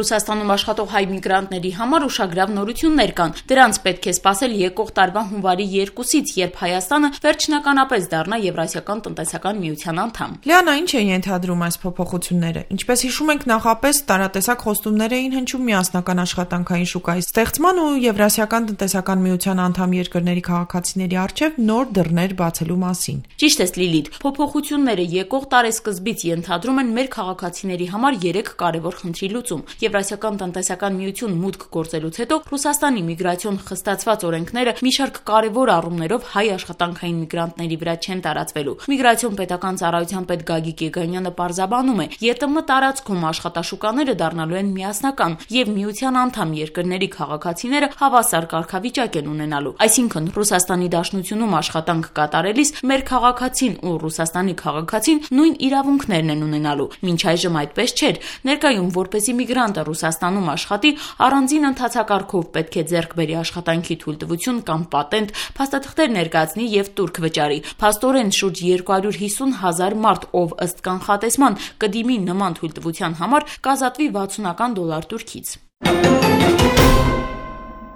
Ռուսաստանում աշխատող հայ միգրանտների համար ուշագրավ նորություններ կան։ Դրանց պետք է սպասել եկող տարվա հունվարի 2-ից, երբ Հայաստանը վերջնականապես դառնա Եվրասիական տնտեսական միության անդամ։ Լիանա, ինչ է ենթադրում այս փոփոխությունները։ Ինչպես հիշում ենք, նախապես տարատեսակ խոստումներ էին հնչում միասնական աշխատանքային շուկայի ստեղծման ու Եվրասիական տնտեսական միության անդամ երկրների քաղաքացիների առջև նոր դռներ բացելու մասին։ Ճիշտ ես, Լիլիթ, փոփոխությունները եկող տարեսկզբից ենթադրում են մեր քաղաքացիների համար 3 կարևոր խնդրի լուծում։ Եվրասիական տնտեսական միություն մուտք գործելուց հետո Ռուսաստանի միգրացիոն խստացված օրենքները մի շարք կարևոր առումներով հայ աշխատանքային միգրանտների վրա չեն տարածվելու։ Միգրացիոն պետական ծառայության պետ Գագիկ Եգանյանը պարզաբանում է, ԵՏՄ տարածքում աշխատաշուկաները դառնալու են միասնական եւ միության անդամ երկրների քաղաքացիները հավասար կարգավիճակ են ունենալու։ Այսինքն Ռուսաստանի Դաշնությունում աշխատանք կատարելիս մեր քաղաքացին ու Ռուսաստանի քաղաքացին նույն իրավունքներն են ունենալու։ Մինչ այժմ այդպես չէր։ Ներկայում որպեսզի միգրանտը Ռուսաստանում աշխատի, առանձին ընթացակարգով պետք է ձեռք բերի աշխատանքի թույլտվություն կամ պատենտ, փաստաթղթեր ներկայացնի եւ տուրք վճարի։ Փաստորեն շուրջ 250,000 մարդ, ով ըստ կանխատեսման կդիմի նման թույլտվության համար, կազատվի $60 Թուրքից։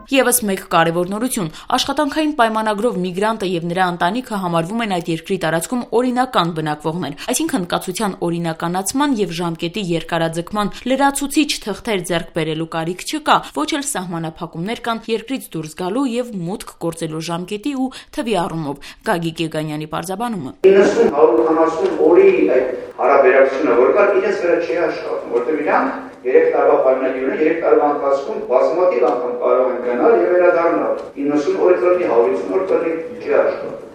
Եվս մեկ կարևոր նորություն՝ աշխատանքային պայմանագրով միգրանտը եւ նրա ընտանիքը համարվում են այդ երկրի տարածքում օրինական բնակվողներ, այսինքն կացության օրինականացման եւ ժամկետի երկարաձգման լրացուցիչ թղթեր ձեռք բերելու կարիք չկա, ոչ էլ սահմանափակումներ կան երկրից դուրս գալու եւ մուտք գործելու ժամկետի ու թվի առումով։ Գագիկ Եգանյանի պարզաբանումը. 90-150 օրի այդ հարաբերակցությունը, որ կա, իրենց վրա չի աշխատում, որտեղ իրանք 3 տարվա պայմանագիր ունեն, 3 տարվա ընթացքում բազմաթիվ անգամ կարող են գնալ եւ վերադառնալ։ 90 օր կլինի, 150 օր կլինի, չի աշխատում։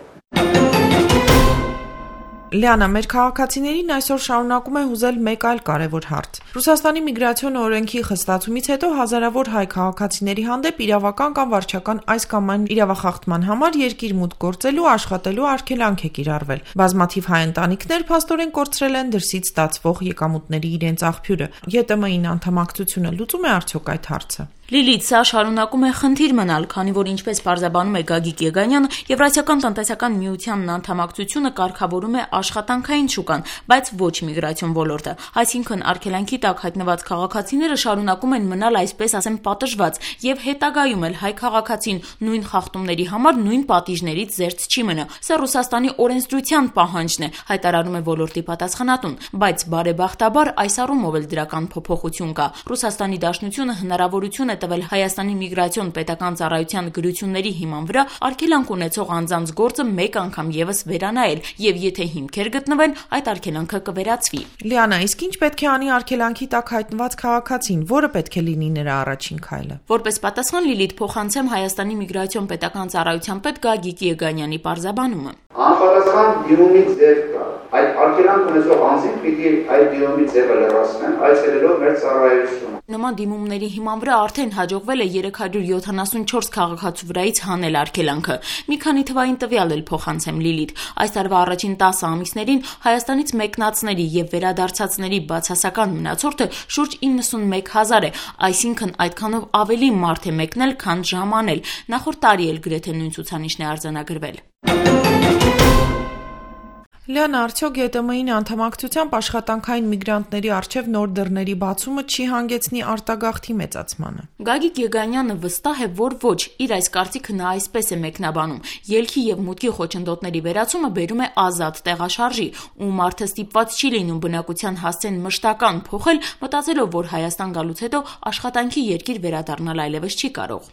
Լիանա, մեր քաղաքացիներին այսօր շարունակում է հուզել մեկ այլ կարևոր հարց։ Ռուսաստանի միգրացիոն օրենքի խստացումից հետո հազարավոր հայ քաղաքացիների հանդեպ իրավական կամ վարչական այս կամ այն իրավախախտման համար երկիր մուտք գործելու, աշխատելու արգելանք է կիրառվել։ Բազմաթիվ հայ ընտանիքներ փաստորեն կորցրել են դրսից ստացվող եկամուտների իրենց աղբյուրը։ ԵՏՄ-ին անդամակցությունը լուծում է արդյոք այդ հարցը։ Լիլիթ, սա շարունակում է խնդիր մնալ, քանի որ ինչպես պարզաբանում է Գագիկ Եգանյանը, Եվրասիական տնտեսական միությանն անդամակցությունը կարգավորում է աշխատանքային շուկան, բայց ոչ միգրացիոն ոլորտը։ Այսինքն արգելանքի տակ հայտնված քաղաքացիները շարունակում են մնալ, այսպես ասեմ, պատժված եւ հետագայում էլ հայ քաղաքացին նույն խախտումների համար նույն պատիժներից զերծ չի մնա։ Սա Ռուսաստանի օրենսդրության պահանջն է, հայտարարում է ոլորտի պատասխանատուն, բայց բարեբախտաբար այս առումով էլ դրական փոփոխություն կա։ Ռուսաստանի Դաշնությունը հնարավորություն է տվել Հայաստանի միգրացիոն պետական ծառայության գրությունների հիման վրա արգելանք ունեցող անձանց գործը մեկ անգամ եւս վերանայել եւ եթե հիմքեր գտնվեն, այդ արգելանքը կվերացվի։ Լիանա, իսկ ինչ պետք է անի արգելանքի տակ հայտնված քաղաքացին, որը պետք է լինի նրա առաջին քայլը։ Որպես պատասխան Լիլիթ փոխանցեմ Հայաստանի միգրացիոն պետական ծառայության պետ Գագիկ Եգանյանի պարզաբանումը։ Անպատասխան դիմումի ձև կա։ Այդ արգելանք ունեցող անձին պիտի այդ դիմումի ձևը լրացնեն, այցելելով մեր ծառայությունը։ Նման դիմումների հիման վրա արդեն հաջողվել է 374 քաղաքացու վրայից հանել արգելանքը։ Մի քանի թվային տվյալ էլ փոխանցեմ Լիլիթ։ Այս տարվա առաջին 10 ամիսներին Հայաստանից մեկնածների եւ վերադարձածների բացասական մնացորդը շուրջ 91,000 է, այսինքն այդքանով ավելի մարդ է մեկնել, քան ժամանել։ Նախորդ տարի էլ գրեթե նույն ցուցանիշն է արձանագրվել։ Լիանա, արդյոք ԵՏՄ-ին անդամակցությամբ աշխատանքային միգրանտների առջև նոր դռների բացումը չի հանգեցնի արտագաղթի մեծացմանը։ Գագիկ Եգանյանը վստահ է, որ ոչ, իր այս կարծիքը նա այսպես է մեկնաբանում. ելքի եւ մուտքի խոչընդոտների վերացումը բերում է ազատ տեղաշարժի, ու մարդը ստիպված չի լինում բնակության հասցեն մշտական փոխել, մտածելով, որ Հայաստան գալուց հետո աշխատանքի երկիր վերադառնալ այլևս չի կարող։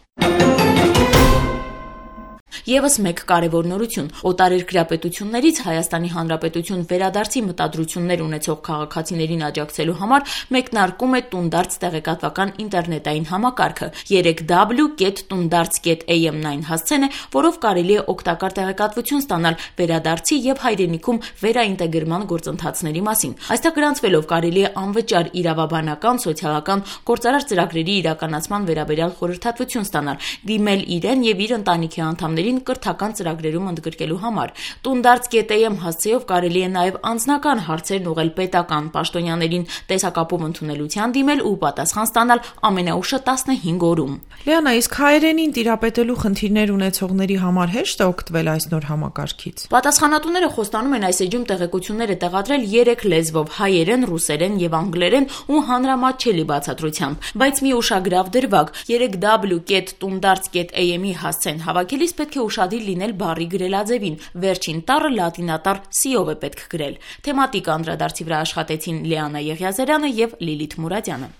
Եվս մեկ կարևոր նորություն՝ օտարերկրյա պետություններից Հայաստանի Հանրապետություն վերադարձի մտադրություններ ունեցող քաղաքացիներին աջակցելու համար մեկնարկում է Տունդարձ տեղեկատվական ինտերնետային համակարգը 3w.tundarts.am-ն հասցեն է, որով կարելի է օգտակար տեղեկատվություն ստանալ վերադարձի եւ հայրենիքում վերաինտեգրման գործընթացների մասին։ Այստեղ գրանցվելով կարելի է անվճար իրավաբանական, սոցիալական, գործարար ծրագրերի իրականացման վերաբերյալ խորհրդատվություն ստանալ, դիմել իրեն եւ իր ընտանիքի անդամներին պաշտոնյաներին կրթական ծրագրերում ընդգրկելու համար։ Տունդարձ.am հասցեով կարելի է նաև անձնական հարցերն ուղղել պետական պաշտոնյաներին, տեսակապով ընդունելության դիմել ու պատասխան ստանալ ամենաուշը 15 օրում։ Լիանա, իսկ հայերենին տիրապետելու խնդիրներ ունեցողների համար հեշտ է օգտվել այս նոր համակարգից։ Պատասխանատուները խոստանում են այս էջում տեղեկությունները տեղադրել 3 լեզվով՝ հայերեն, ռուսերեն եւ անգլերեն ու հանրամատչելի բացատրությամբ, բայց մի ուշագրավ դրվագ՝ 3w.tundarts.am-ի հասցեն հավաքելիս պետք է ուշադիր լինել բառի գրելաձևին, վերջին տառը լատինատառ C-ով է պետք գրել։ Թեմատիկ անդրադարձի վրա աշխատեցին Լիանա Եղիազարյանը եւ Լիլիթ Մուրադյանը։